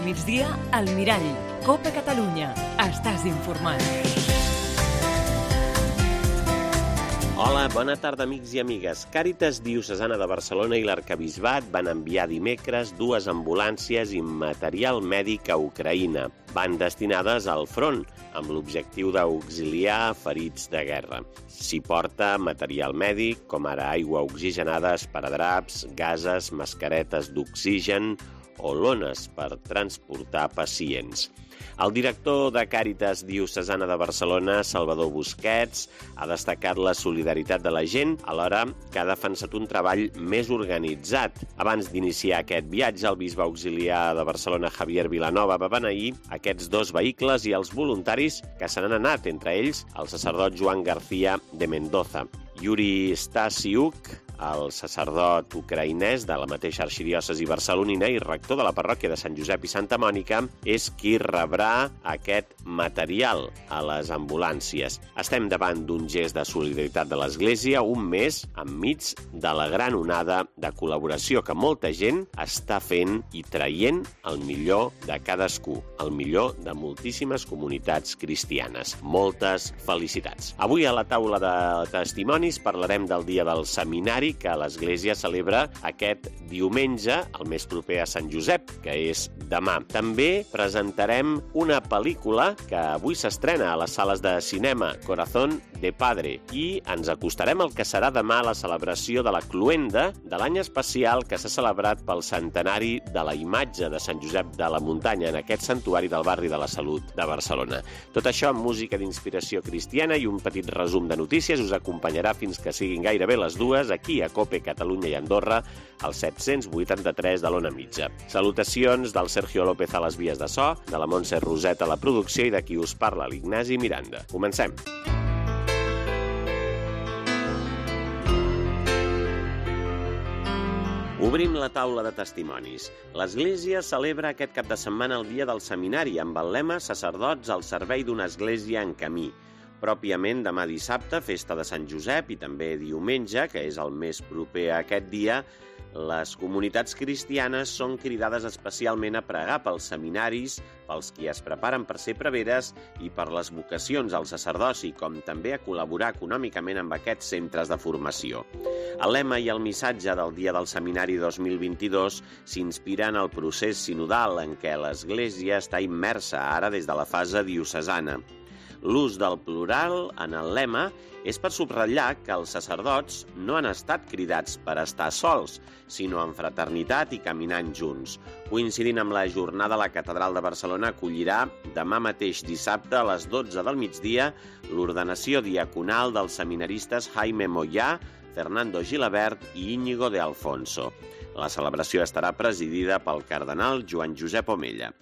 migdia, al Mirall. Copa Catalunya. Estàs informat. Hola, bona tarda, amics i amigues. Càritas Diocesana de Barcelona i l'Arquebisbat van enviar dimecres 2 ambulàncies i material mèdic a Ucraïna. Van destinades al front, amb l'objectiu d'auxiliar ferits de guerra. S'hi porta material mèdic, com ara aigua oxigenada, esparadraps, gases, mascaretes d'oxigen o lones per transportar pacients. El director de Càritas Diocesana de Barcelona, Salvador Busquets, ha destacat la solidaritat de la gent, alhora que ha defensat un treball més organitzat. Abans d'iniciar aquest viatge, el bisbe auxiliar de Barcelona, Javier Vilanova, va beneir aquests 2 vehicles i els voluntaris que se n'han anat, entre ells el sacerdot Joan García de Mendoza. Yuri Stasiuk, el sacerdot ucraïnès de la mateixa arxidiòcesi barcelonina i rector de la parròquia de Sant Josep i Santa Mònica, és qui rebrà aquest material a les ambulàncies. Estem davant d'un gest de solidaritat de l'Església, un mes enmig de la gran onada de col·laboració que molta gent està fent i traient el millor de cadascú, el millor de moltíssimes comunitats cristianes. Moltes felicitats. Avui a la taula de testimonis parlarem del dia del seminari que l'Església celebra aquest diumenge, el més proper a Sant Josep, que és demà. També presentarem una pel·lícula que avui s'estrena a les sales de cinema, Corazón de Padre, i ens acostarem al que serà demà la celebració de la Cloenda, de l'any especial que s'ha celebrat pel centenari de la imatge de Sant Josep de la Muntanya en aquest santuari del barri de la Salut de Barcelona. Tot això amb música d'inspiració cristiana i un petit resum de notícies us acompanyarà fins que siguin gairebé les 2 aquí a Cope, Catalunya i Andorra, al 783 de l'Ona Mitja. Salutacions del Sergio López a les vies de so, de la Montse Roset a la producció i de qui us parla, l'Ignasi Miranda. Comencem. Obrim la taula de testimonis. L'Església celebra aquest cap de setmana el dia del seminari amb el lema Sacerdots al servei d'una església en camí. Pròpiament demà dissabte, festa de Sant Josep, i també diumenge, que és el més proper a aquest dia, les comunitats cristianes són cridades especialment a pregar pels seminaris, pels qui es preparen per ser preveres i per les vocacions al sacerdoci, com també a col·laborar econòmicament amb aquests centres de formació. El lema i el missatge del Dia del Seminari 2022 s'inspira en el procés sinodal en què l'Església està immersa ara des de la fase diocesana. L'ús del plural en el lema és per subratllar que els sacerdots no han estat cridats per estar sols, sinó en fraternitat i caminant junts. Coincidint amb la jornada, la Catedral de Barcelona acollirà demà mateix dissabte a les 12 del migdia l'ordenació diaconal dels seminaristes Jaime Moyà, Fernando Gilabert i Íñigo de Alfonso. La celebració estarà presidida pel cardenal Joan Josep Omella.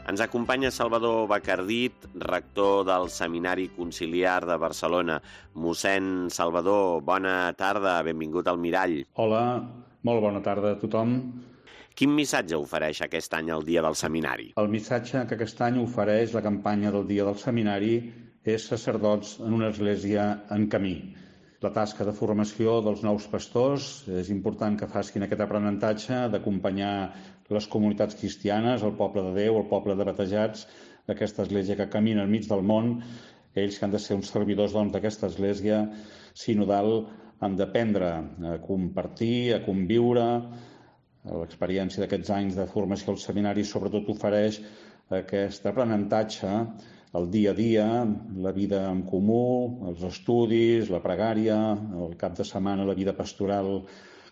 Ens acompanya Salvador Bacardit, rector del Seminari Conciliar de Barcelona. Mossèn Salvador, bona tarda, benvingut al Mirall. Hola, molt bona tarda a tothom. Quin missatge ofereix aquest any el Dia del Seminari? El missatge que aquest any ofereix la campanya del Dia del Seminari és Sacerdots en una església en camí. La tasca de formació dels nous pastors és important que facin aquest aprenentatge d'acompanyar les comunitats cristianes, el poble de Déu, el poble de batejats, d'aquesta església que camina enmig del món. Ells que han de ser uns servidors d'aquesta església sinodal han d'aprendre a compartir, a conviure. L'experiència d'aquests anys de formació al seminari sobretot ofereix aquest aprenentatge, el dia a dia, la vida en comú, els estudis, la pregària, el cap de setmana la vida pastoral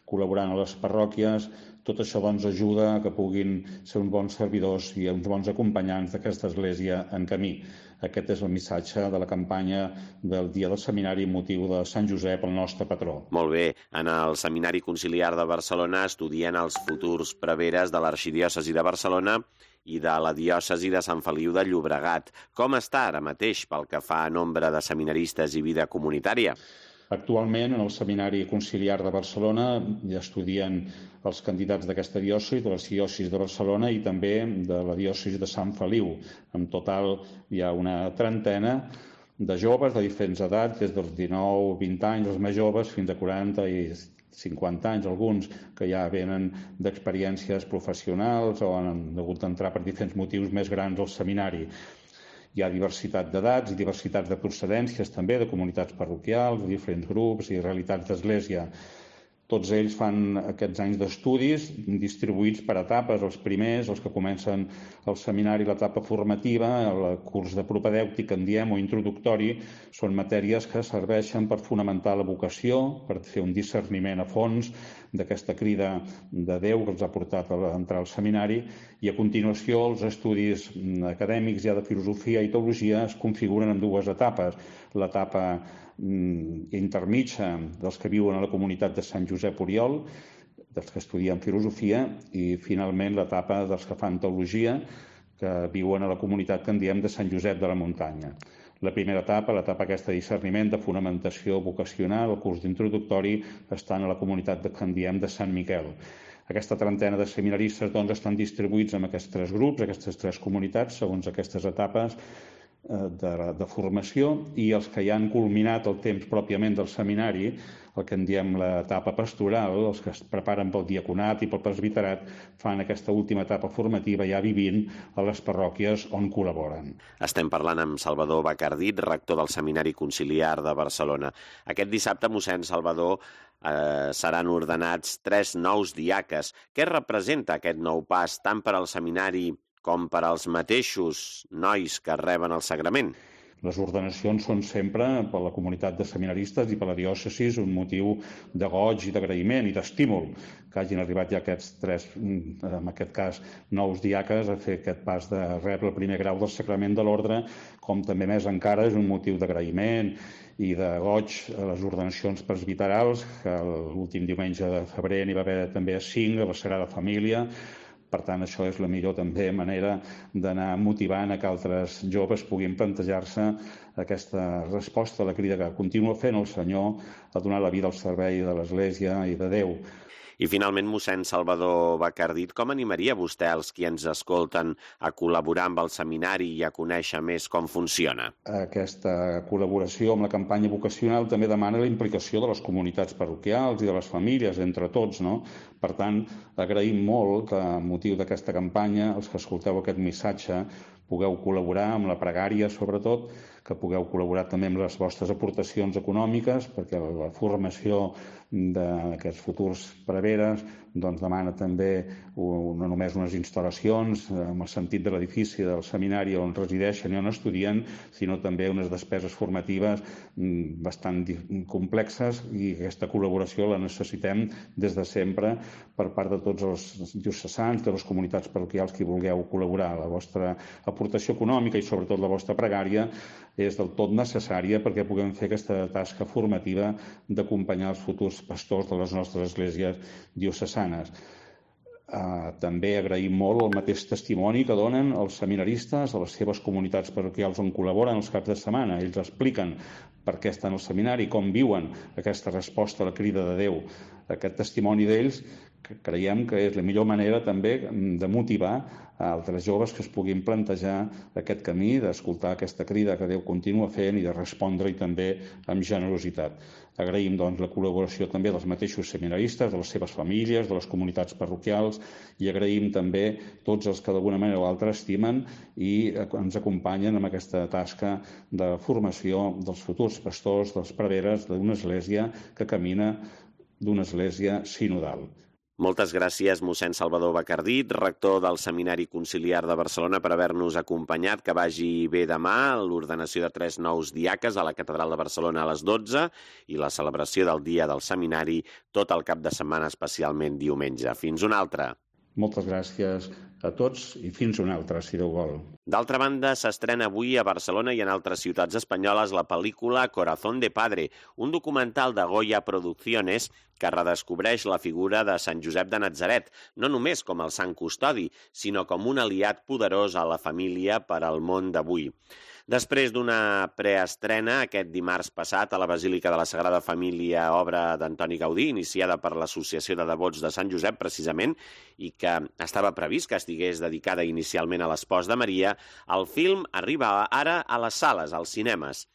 col·laborant a les parròquies. Tot això ajuda a que puguin ser uns bons servidors i uns bons acompanyants d'aquesta església en camí. Aquest és el missatge de la campanya del Dia del Seminari amb motiu de Sant Josep, el nostre patró. Molt bé. En el Seminari Conciliar de Barcelona estudien els futurs preveres de l'Arxidiòcesi de Barcelona i de la diòcesi de Sant Feliu de Llobregat. Com està ara mateix pel que fa a nombre de seminaristes i vida comunitària? Actualment, en el Seminari Conciliar de Barcelona ja estudien els candidats d'aquesta diòcesi, de l'arxidiòcesi de Barcelona i també de la diòcesi de Sant Feliu. En total hi ha una trentena de joves de diferents edats, des dels 19-20 anys, els més joves, fins a 40 i 50 anys, alguns que ja venen d'experiències professionals o han hagut d'entrar per diferents motius més grans al seminari. Hi ha diversitat d'edats i diversitats de procedències també, de comunitats parroquials, de diferents grups i realitats d'església. Tots ells fan aquests anys d'estudis distribuïts per etapes. Els primers, els que comencen el seminari, l'etapa formativa, el curs de propedèutic, en diem, o introductori, són matèries que serveixen per fonamentar la vocació, per fer un discerniment a fons d'aquesta crida de Déu que els ha portat a entrar al seminari, i a continuació els estudis acadèmics ja de filosofia i teologia es configuren en dues etapes. L'etapa intermitja dels que viuen a la comunitat de Sant Josep Oriol, dels que estudien filosofia, i finalment l'etapa dels que fan teologia, que viuen a la comunitat que en diem de Sant Josep de la Muntanya. La primera etapa, l'etapa aquesta de discerniment, de fonamentació vocacional, el curs d'introductori, estan a la comunitat que en diem de Sant Miquel. Aquesta trentena de seminaristes estan distribuïts en aquests tres grups, aquestes tres comunitats, segons aquestes etapes de formació, i els que ja han culminat el temps pròpiament del seminari, el que en diem l'etapa pastoral, els que es preparen pel diaconat i pel presbiterat, fan aquesta última etapa formativa ja vivint a les parròquies on col·laboren. Estem parlant amb Salvador Bacardit, rector del Seminari Conciliar de Barcelona. Aquest dissabte, mossèn Salvador, seran ordenats 3 nous diaques. Què representa aquest nou pas tant per al seminari com per als mateixos nois que reben el sagrament? Les ordenacions són sempre per la comunitat de seminaristes i per la diòcesis un motiu de goig i d'agraïment i d'estímul que hagin arribat ja aquests 3, en aquest cas, nous diaques a fer aquest pas de rebre el primer grau del sacrament de l'ordre, com també més encara és un motiu d'agraïment i de goig a les ordenacions presbiterals, que l'últim diumenge de febrer n'hi va haver també 5 a la Sagrada Família. Per tant, això és la millor també manera d'anar motivant a que altres joves puguin plantejar-se aquesta resposta a la crida que continua fent el Senyor a donar la vida al servei de l'Església i de Déu. I finalment, mossèn Salvador Bacardit, com animaria vostè els qui ens escolten a col·laborar amb el seminari i a conèixer més com funciona? Aquesta col·laboració amb la campanya vocacional també demana la implicació de les comunitats parroquials i de les famílies, entre tots, no? Per tant, agraïm molt que, a motiu d'aquesta campanya, els que escolteu aquest missatge, pugueu col·laborar amb la pregària, sobretot, que pugueu col·laborar també amb les vostres aportacions econòmiques, perquè la formació d'aquests futurs preveres demana també no només unes instal·lacions en el sentit de l'edifici del seminari on resideixen i on estudien, sinó també unes despeses formatives bastant complexes, i aquesta col·laboració la necessitem des de sempre per part de tots els diocesans, de les comunitats parroquials que vulgueu col·laborar. La vostra aportació econòmica i sobretot la vostra pregària és del tot necessària perquè puguem fer aquesta tasca formativa d'acompanyar els futurs pastors de les nostres esglésies diocesanes. També agraïm molt el mateix testimoni que donen els seminaristes a les seves comunitats parroquials on col·laboren els caps de setmana. Ells expliquen per què estan al seminari, com viuen aquesta resposta a la crida de Déu. Aquest testimoni d'ells creiem que és la millor manera també de motivar a altres joves que es puguin plantejar aquest camí d'escoltar aquesta crida que Déu continua fent i de respondre-hi també amb generositat. Agraïm la col·laboració també dels mateixos seminaristes, de les seves famílies, de les comunitats parroquials, i agraïm també tots els que d'alguna manera o altra estimen i ens acompanyen en aquesta tasca de formació dels futurs pastors, dels preveres d'una església que camina d'una església sinodal. Moltes gràcies, mossèn Salvador Bacardit, rector del Seminari Conciliar de Barcelona, per haver-nos acompanyat. Que vagi bé demà l'ordenació de 3 nous diaques a la Catedral de Barcelona a les 12 i la celebració del Dia del Seminari tot el cap de setmana, especialment diumenge. Fins una altra. Moltes gràcies a tots i fins una altra, si Déu vol. D'altra banda, s'estrena avui a Barcelona i en altres ciutats espanyoles la pel·lícula Corazón de Padre, un documental de Goya Producciones que redescobreix la figura de Sant Josep de Natzaret, no només com el sant custodi, sinó com un aliat poderós a la família per al món d'avui. Després d'una preestrena aquest dimarts passat a la Basílica de la Sagrada Família, obra d'Antoni Gaudí, iniciada per l'Associació de Devots de Sant Josep, precisament, i que estava previst que estigués dedicada inicialment a l'espòs de Maria, el film arriba ara a les sales, als cinemes.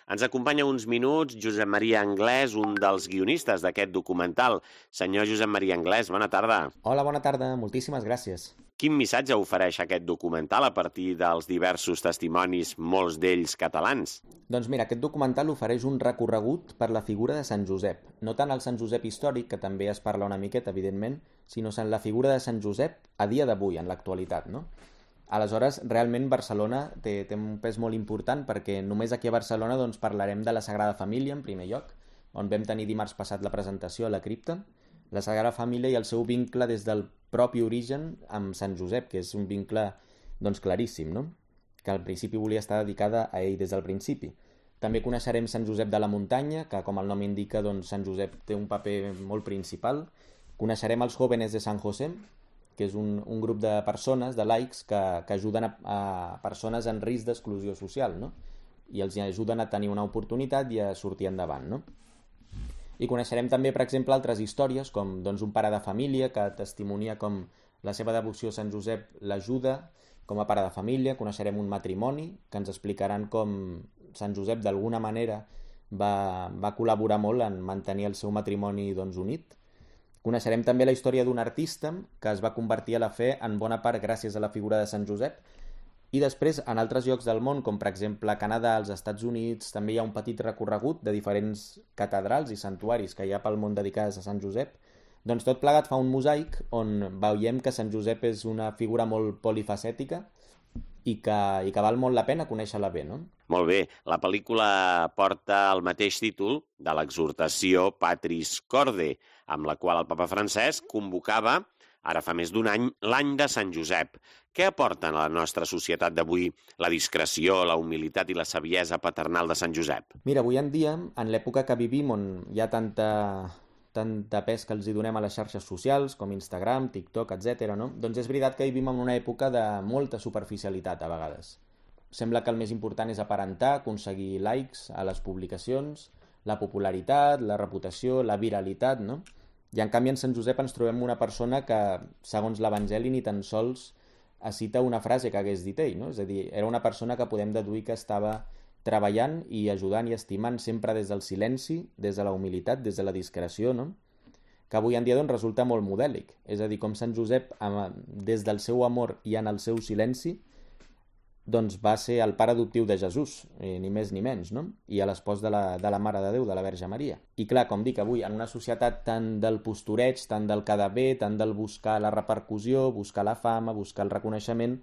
Ens acompanya uns minuts Josep Maria Anglès, un dels guionistes d'aquest documental. Senyor Josep Maria Anglès, bona tarda. Hola, bona tarda. Moltíssimes gràcies. Quin missatge ofereix aquest documental a partir dels diversos testimonis, molts d'ells catalans? Doncs mira, aquest documental ofereix un recorregut per la figura de Sant Josep. No tant el Sant Josep històric, que també es parla una miqueta, evidentment, sinó en la figura de Sant Josep a dia d'avui, en l'actualitat, no? Aleshores, realment Barcelona té un pes molt important perquè només aquí a Barcelona doncs, parlarem de la Sagrada Família, en primer lloc, on vam tenir dimarts passat la presentació a la cripta, la Sagrada Família i el seu vincle des del propi origen amb Sant Josep, que és un vincle doncs, claríssim, no? Que al principi volia estar dedicada a ell des del principi. També coneixerem Sant Josep de la Muntanya, que com el nom indica, doncs, Sant Josep té un paper molt principal. Coneixerem els Jóvenes de San José, que és un grup de persones, de laics, que ajuden a persones en risc d'exclusió social, no? I els ajuden a tenir una oportunitat i a sortir endavant, no? I coneixerem també, per exemple, altres històries, com doncs, un pare de família que testimonia com la seva devoció a Sant Josep l'ajuda com a pare de família. Coneixerem un matrimoni que ens explicaran com Sant Josep d'alguna manera va col·laborar molt en mantenir el seu matrimoni doncs, unit. Coneixerem també la història d'un artista que es va convertir a la fe en bona part gràcies a la figura de Sant Josep. I després, en altres llocs del món, com per exemple a Canadà, als Estats Units, també hi ha un petit recorregut de diferents catedrals i santuaris que hi ha pel món dedicades a Sant Josep. Doncs tot plegat fa un mosaic on veiem que Sant Josep és una figura molt polifacètica i que val molt la pena conèixer-la bé, no? Molt bé. La pel·lícula porta el mateix títol de l'exhortació Patris Corde, amb la qual el papa Francesc convocava, ara fa més d'un any, l'any de Sant Josep. Què aporten a la nostra societat d'avui la discreció, la humilitat i la saviesa paternal de Sant Josep? Mira, avui en dia, en l'època que vivim, on hi ha tanta pes que els hi donem a les xarxes socials, com Instagram, TikTok, etc., no? Doncs és veritat que vivim en una època de molta superficialitat, a vegades. Sembla que el més important és aparentar, aconseguir likes a les publicacions, la popularitat, la reputació, la viralitat, no? I en canvi en Sant Josep ens trobem una persona que, segons l'Evangeli, ni tan sols cita una frase que hagués dit ell, no? És a dir, era una persona que podem deduir que estava treballant i ajudant i estimant sempre des del silenci, des de la humilitat, des de la discreció, no? Que avui en dia doncs, resulta molt modèlic. És a dir, com Sant Josep, des del seu amor i en el seu silenci, doncs va ser el pare adoptiu de Jesús, ni més ni menys, no? I a l'espòs de la Mare de Déu, de la Verge Maria. I clar, com dic, avui, en una societat tant del postureig, tant del quedar bé, tant del buscar la repercussió, buscar la fama, buscar el reconeixement,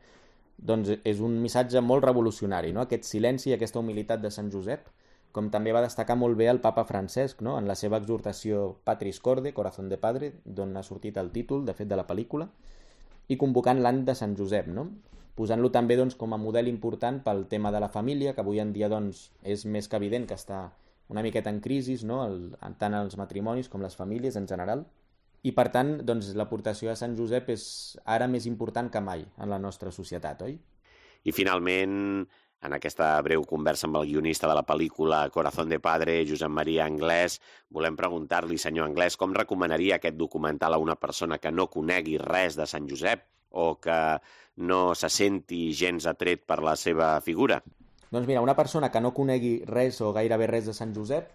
doncs és un missatge molt revolucionari, no? Aquest silenci i aquesta humilitat de Sant Josep, com també va destacar molt bé el papa Francesc, no? En la seva exhortació Patris Corde, Corazón de Padre, d'on ha sortit el títol, de fet, de la pel·lícula, i convocant l'any de Sant Josep, no? Posant-lo també doncs, com a model important pel tema de la família, que avui en dia doncs, és més que evident que està una miqueta en crisi, no? Tant els matrimonis com les famílies en general. I per tant, doncs, l'aportació de Sant Josep és ara més important que mai en la nostra societat, oi? I finalment, en aquesta breu conversa amb el guionista de la pel·lícula Corazón de Padre, Josep Maria Anglès, volem preguntar-li, senyor Anglès, com recomanaria aquest documental a una persona que no conegui res de Sant Josep o que no se senti gens atret per la seva figura? Doncs mira, una persona que no conegui res o gairebé res de Sant Josep,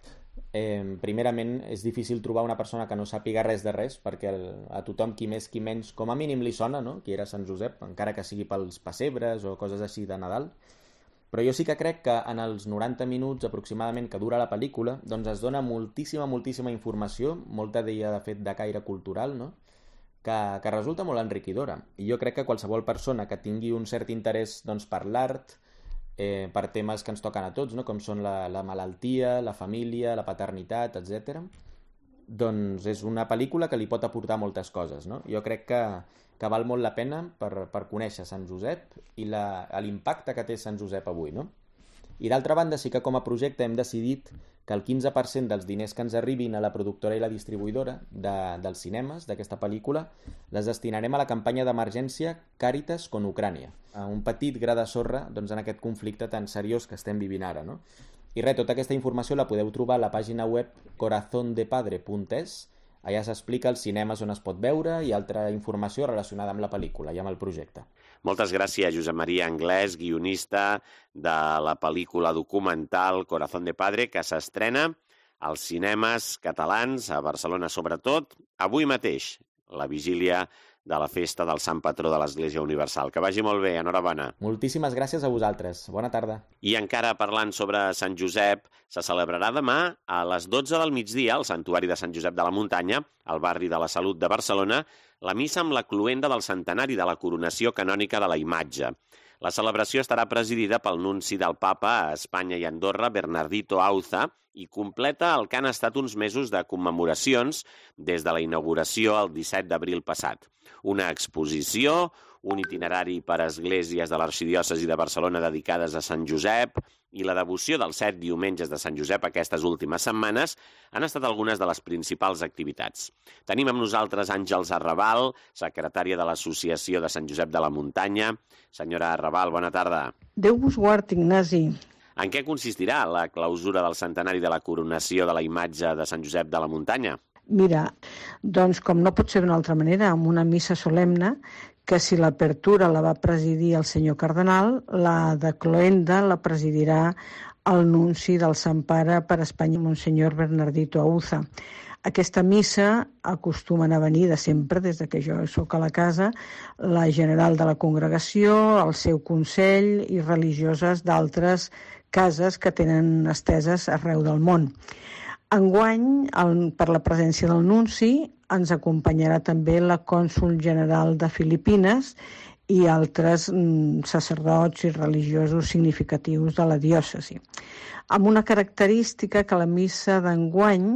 primerament és difícil trobar una persona que no sàpiga res de res, perquè a tothom, qui més qui menys, com a mínim li sona, no?, qui era Sant Josep, encara que sigui pels pessebres o coses així de Nadal. Però jo sí que crec que en els 90 minuts aproximadament que dura la pel·lícula, doncs es dona moltíssima informació, molta d'ella de fet de caire cultural, no?, que resulta molt enriquidora. I jo crec que qualsevol persona que tingui un cert interès doncs, per l'art, per temes que ens toquen a tots, no? Com són la malaltia, la família, la paternitat, etc., doncs és una pel·lícula que li pot aportar moltes coses, no? Jo crec que val molt la pena per conèixer Sant Josep i l'impacte que té Sant Josep avui, no? I d'altra banda, sí que com a projecte hem decidit que el 15% dels diners que ens arribin a la productora i la distribuïdora dels cinemes d'aquesta pel·lícula les destinarem a la campanya d'emergència Càritas con Ucrània, un petit gra de sorra doncs, en aquest conflicte tan seriós que estem vivint ara, no? I res, tota aquesta informació la podeu trobar a la pàgina web corazondepadre.es, Allà s'explica els cinemes on es pot veure i altra informació relacionada amb la pel·lícula i amb el projecte. Moltes gràcies, Josep Maria Anglès, guionista de la pel·lícula documental Corazón de Padre, que s'estrena als cinemes catalans, a Barcelona sobretot, avui mateix, la vigília de la festa del Sant Patró de l'Església Universal. Que vagi molt bé, enhorabona. Moltíssimes gràcies a vosaltres. Bona tarda. I encara parlant sobre Sant Josep, se celebrarà demà a les 12 del migdia al Santuari de Sant Josep de la Muntanya, al barri de la Salut de Barcelona, la missa amb la cloenda del centenari de la coronació canònica de la imatge. La celebració estarà presidida pel nunci del Papa a Espanya i Andorra, Bernardito Auza, i completa el que han estat uns mesos de commemoracions des de la inauguració el 17 d'abril passat. Una exposició, un itinerari per esglésies de l'arxidiòcesi de Barcelona dedicades a Sant Josep i la devoció dels 7 diumenges de Sant Josep aquestes últimes setmanes han estat algunes de les principals activitats. Tenim amb nosaltres Àngels Arrabal, secretària de l'Associació de Sant Josep de la Muntanya. Senyora Arrabal, bona tarda. Déu vos guard, Ignasi. En què consistirà la clausura del centenari de la coronació de la imatge de Sant Josep de la Muntanya? Mira, doncs com no pot ser d'una altra manera, amb una missa solemne, que si l'apertura la va presidir el senyor cardenal, la de cloenda la presidirà el nunci del Sant Pare per Espanya, Monsenyor Bernardito Auza. Aquesta missa acostumen a venir de sempre, des que jo sóc a la casa, la general de la congregació, el seu consell i religioses d'altres cases que tenen esteses arreu del món. Enguany, per la presència del nunci, ens acompanyarà també la cònsol general de Filipines i altres sacerdots i religiosos significatius de la diòcesi. Amb una característica que la missa d'enguany,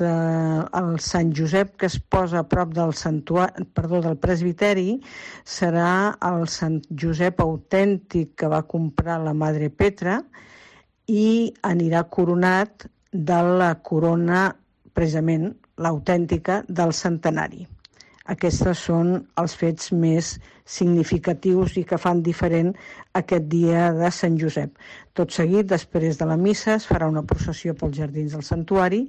el Sant Josep que es posa a prop del presbiteri, serà el Sant Josep autèntic que va comprar la Madre Petra i anirà coronat de la corona, precisament l'autèntica, del centenari. Aquests són els fets més significatius i que fan diferent aquest dia de Sant Josep. Tot seguit, després de la missa, es farà una processió pels jardins del santuari,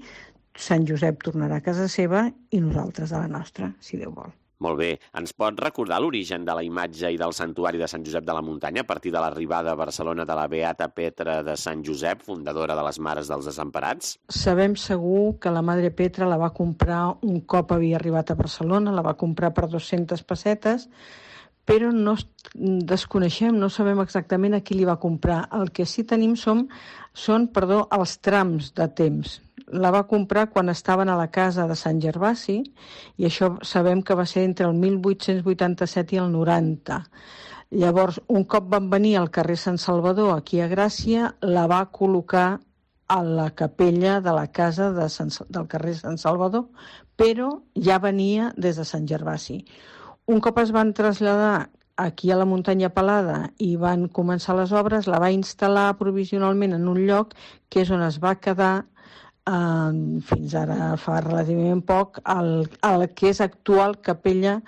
Sant Josep tornarà a casa seva i nosaltres a la nostra, si Déu vol. Molt bé. Ens pot recordar l'origen de la imatge i del santuari de Sant Josep de la Muntanya a partir de l'arribada a Barcelona de la Beata Petra de Sant Josep, fundadora de les Mares dels Desemparats? Sabem segur que la Madre Petra la va comprar un cop havia arribat a Barcelona, la va comprar per 200 pessetes, però no desconeixem, no sabem exactament a qui li va comprar. El que sí tenim són els trams de temps. La va comprar quan estaven a la casa de Sant Gervasi i això sabem que va ser entre el 1887 i el 90. Llavors, un cop van venir al carrer Sant Salvador, aquí a Gràcia, la va col·locar a la capella de la casa del carrer Sant Salvador, però ja venia des de Sant Gervasi. Un cop es van traslladar aquí a la Muntanya Pelada i van començar les obres, la va instal·lar provisionalment en un lloc que és on es va quedar fins ara fa relativament poc, el que és actual capella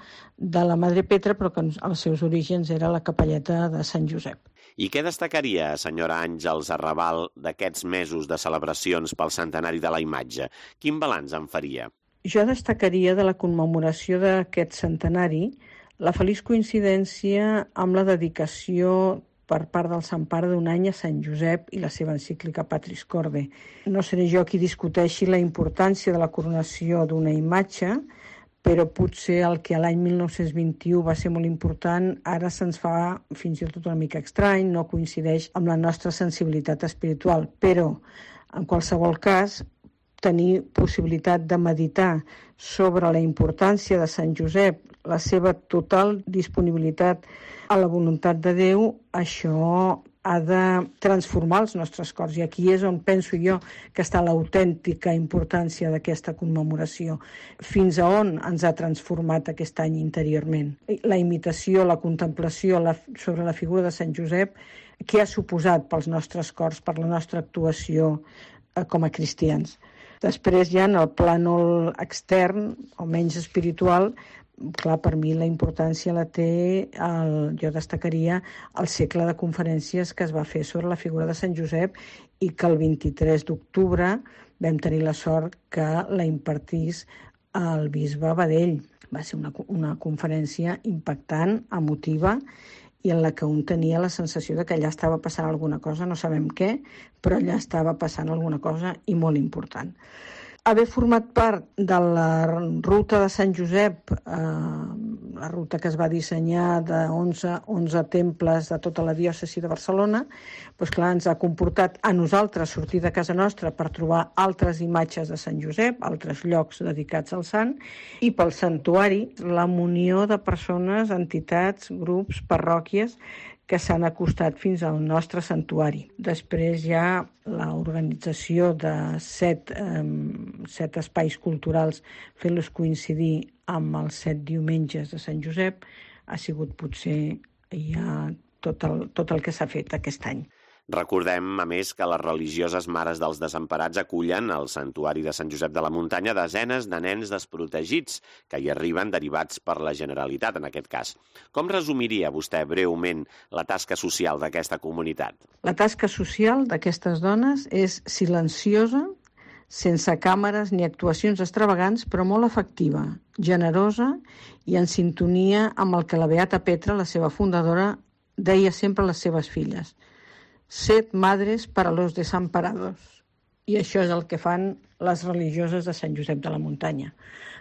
de la Madre Petra, però que als seus orígens era la capelleta de Sant Josep. I què destacaria, senyora Àngels Arrabal, d'aquests mesos de celebracions pel centenari de la imatge? Quin balanç en faria? Jo destacaria de la commemoració d'aquest centenari la feliç coincidència amb la dedicació per part del Sant Pare d'un any a Sant Josep i la seva encíclica Patris Corde. No seré jo qui discuteixi la importància de la coronació d'una imatge, però potser el que a l'any 1921 va ser molt important, ara se'ns fa fins i tot una mica estrany, no coincideix amb la nostra sensibilitat espiritual, però en qualsevol cas tenir possibilitat de meditar sobre la importància de Sant Josep, la seva total disponibilitat a la voluntat de Déu, això ha de transformar els nostres cors. I aquí és on penso jo que està l'autèntica importància d'aquesta commemoració. Fins a on ens ha transformat aquest any interiorment. La imitació, la contemplació sobre la figura de Sant Josep, què ha suposat pels nostres cors, per la nostra actuació com a cristians. Després ja en el plànol extern, o menys espiritual, clar, per mi la importància la té, jo destacaria el cicle de conferències que es va fer sobre la figura de Sant Josep i que el 23 d'octubre vam tenir la sort que la impartís el bisbe Badell. Va ser una conferència impactant, emotiva, i en la que un tenia la sensació de que allà estava passant alguna cosa, no sabem què, però allà estava passant alguna cosa i molt important. Haver format part de la ruta de Sant Josep, la ruta que es va dissenyar de 11 temples de tota la diòcesi de Barcelona, doncs clar, ens ha comportat a nosaltres sortir de casa nostra per trobar altres imatges de Sant Josep, altres llocs dedicats al sant, i pel santuari, la munió de persones, entitats, grups, parròquies, que s'han acostat fins al nostre santuari. Després hi ha l'organització de 7 espais culturals fent-los coincidir amb els 7 diumenges de Sant Josep. Ha sigut potser ja tot el que s'ha fet aquest any. Recordem, a més, que les religioses Mares dels Desemparats acullen al Santuari de Sant Josep de la Muntanya desenes de nens desprotegits que hi arriben derivats per la Generalitat, en aquest cas. Com resumiria vostè breument la tasca social d'aquesta comunitat? La tasca social d'aquestes dones és silenciosa, sense càmeres ni actuacions extravagants, però molt efectiva, generosa i en sintonia amb el que la Beata Petra, la seva fundadora, deia sempre a les seves filles: «Sed madres para los desamparados». I això és el que fan les religioses de Sant Josep de la Muntanya,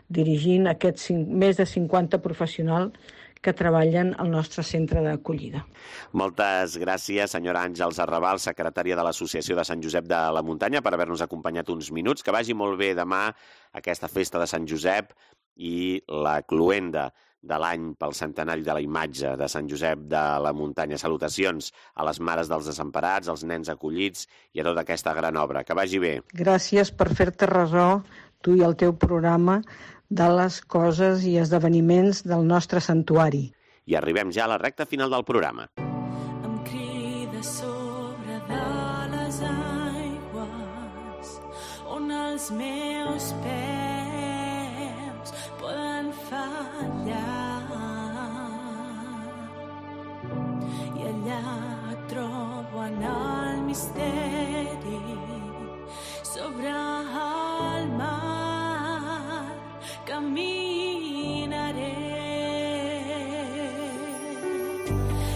dirigint aquests més de 50 professionals que treballen al nostre centre d'acollida. Moltes gràcies, senyora Àngels Arrabal, secretària de l'Associació de Sant Josep de la Muntanya, per haver-nos acompanyat uns minuts. Que vagi molt bé demà aquesta festa de Sant Josep i la cloenda de l'any pel centenari de la imatge de Sant Josep de la Muntanya. Salutacions a les Mares dels Desemparats, als nens acollits i a tota aquesta gran obra. Que vagi bé. Gràcies per fer-te ressò, tu i el teu programa, de les coses i esdeveniments del nostre santuari. I arribem ja a la recta final del programa. Em crida sobre de les aigües on els meus peus poden fallar, i allà trobo en el misteri sobre el mar caminaré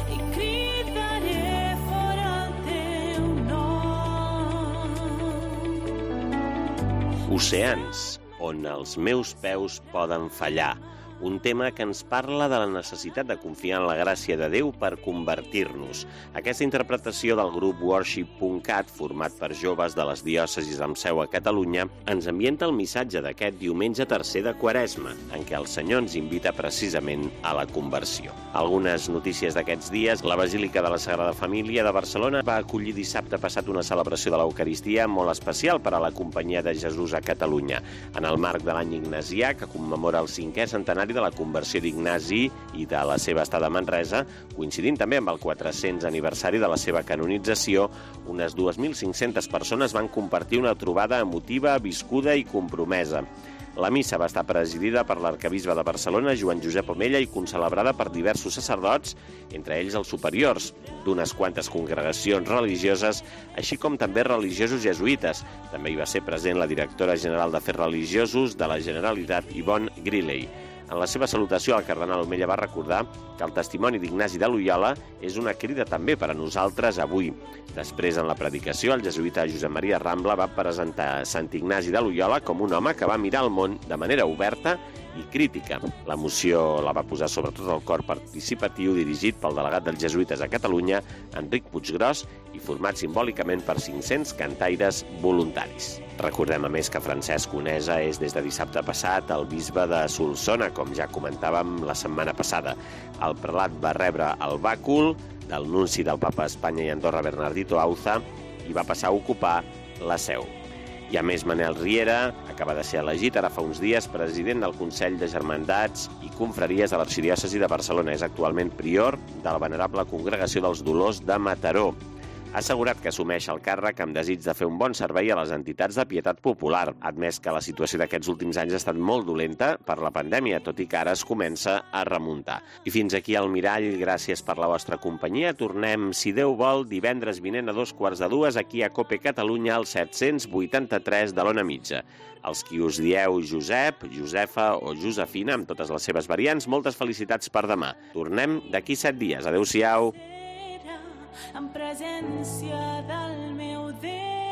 i cridaré fora el teu nom. Oceans on els meus peus poden fallar. Un tema que ens parla de la necessitat de confiar en la gràcia de Déu per convertir-nos. Aquesta interpretació del grup Worship.cat, format per joves de les diòcesis amb seu a Catalunya, ens ambienta el missatge d'aquest diumenge tercer de Quaresma, en què el Senyor ens invita precisament a la conversió. Algunes notícies d'aquests dies. La Basílica de la Sagrada Família de Barcelona va acollir dissabte passat una celebració de l'Eucaristia molt especial per a la Companyia de Jesús a Catalunya, en el marc de l'any ignasià, que commemora el 5è centenari de la conversió d'Ignasi i de la seva estada a Manresa, coincidint també amb el 400 aniversari de la seva canonització. Unes 2.500 persones van compartir una trobada emotiva, viscuda i compromesa. La missa va estar presidida per l'arquebisbe de Barcelona, Joan Josep Omella, i concelebrada per diversos sacerdots, entre ells els superiors d'unes quantes congregacions religioses, així com també religiosos jesuïtes. També hi va ser present la directora general d'Afers Religiosos de la Generalitat, Yvonne Griley. En la seva salutació, el cardenal Omella va recordar que el testimoni d'Ignasi de Loyola és una crida també per a nosaltres avui. Després, en la predicació, el jesuïta Josep Maria Rambla va presentar Sant Ignasi de Loyola com un home que va mirar el món de manera oberta i crítica. La moció la va posar sobretot el cor participatiu dirigit pel delegat dels jesuïtes a Catalunya, Enric Puiggròs, i format simbòlicament per 500 cantaires voluntaris. Recordem, a més, que Francesc Conesa és des de dissabte passat el bisbe de Solsona, com ja comentàvem la setmana passada. El prelat va rebre el bàcul del nunci del Papa a Espanya i Andorra, Bernardito Auza, i va passar a ocupar la seu. I a més, Manel Riera acaba de ser elegit ara fa uns dies president del Consell de Germandats i Confraries de l'Arxidiòcesi de Barcelona. És actualment prior de la Venerable Congregació dels Dolors de Mataró. Ha assegurat que assumeix el càrrec amb desig de fer un bon servei a les entitats de pietat popular. Ha admès que la situació d'aquests últims anys ha estat molt dolenta per la pandèmia, tot i que ara es comença a remuntar. I fins aquí el Mirall, gràcies per la vostra companyia. Tornem, si Déu vol, divendres vinent a 2:45 aquí a COPE Catalunya al 783 de l'Ona Mitja. Els qui us dieu Josep, Josefa o Josefina, amb totes les seves variants, moltes felicitats per demà. Tornem d'aquí 7 dies. Adéu-siau. En presència del meu Déu.